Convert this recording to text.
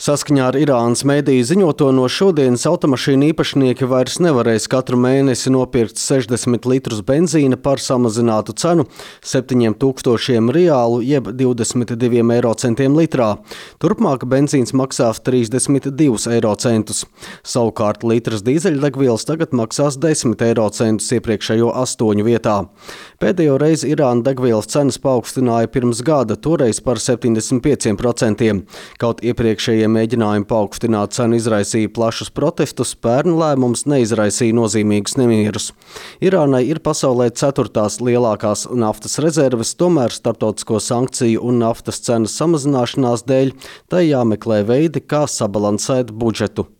Saskaņā ar Irānas mediju ziņoto no šodienas automašīnu īpašnieki vairs nevarēs katru mēnesi nopirkt 60 litrus benzīna par samazinātu cenu 7000 riālu jeb 22 eiro centiem litrā. Turpmāk benzīns maksās 32 eiro centus. Savukārt litrs dīzeļdegvielas tagad maksās 10 eiro centus iepriekšējo 8 vietā. Pēdējo reizi Irāna degvielas cenas paaugstināja pirms gada, toreiz par 75%. Kaut iepriekšējie mēģinājumi paaugstināt cenu izraisīja plašus protestus, pērn lēmums neizraisīja nozīmīgus nemierus. Irānai ir pasaulē 4. lielākās naftas rezerves, tomēr starptautisko sankciju un naftas cenas samazināšanās dēļ tai jāmeklē veidi, kā sabalansēt budžetu.